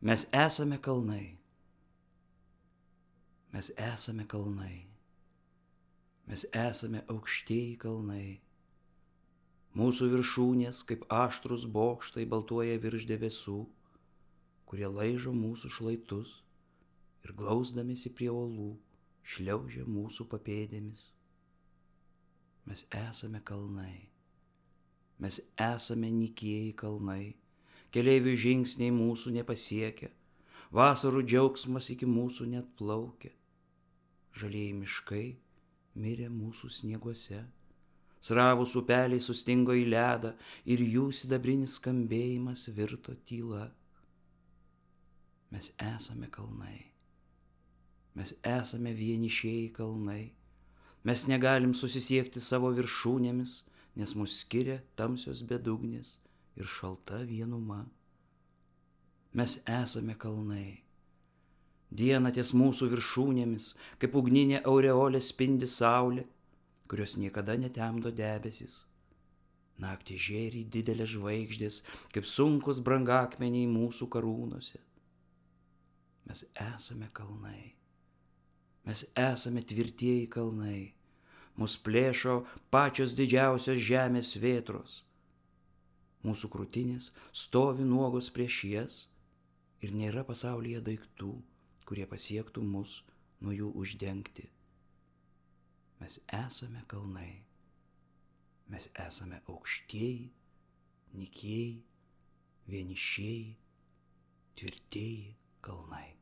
Mes esame kalnai. Mes esame kalnai. Mes esame aukštieji kalnai. Mūsų viršūnės, kaip aštrus bokštai, baltuoja virš debesų, kurie laižo mūsų šlaitus ir glausdamėsi prie uolų šliaužia mūsų papėdėmis. Mes esame kalnai. Mes esame nykieji kalnai. Keleivių žingsniai mūsų nepasiekia. Vasarų džiaugsmas iki mūsų net plaukia. Žalieji miškai mirė mūsų snieguose. Sravūs upeliai sustingo į ledą ir jų sidabrinis skambėjimas virto tyla. Mes esame kalnai. Mes esame vienišieji kalnai. Mes negalim susisiekti savo viršūnėmis, nes mus skiria tamsios bedugnės ir šalta vienuma. Mes esame kalnai. Dieną ties mūsų viršūnėmis, kaip ugninė aureolė spindi saulė, kurios niekada netemdo debesis. Naktį žėri didelės žvaigždės, kaip sunkus brangakmeniai mūsų karūnose. Mes esame kalnai. Mes esame tvirtieji kalnai. Mus plėšo pačios didžiausios žemės vėtros. Mūsų krūtinės stovi nuogos prieš jas ir nėra pasaulyje daiktų, kurie pasiektų mus nuo jų uždengti. Mes esame kalnai. Mes esame aukštieji, nykieji, vienišieji, tvirtieji kalnai.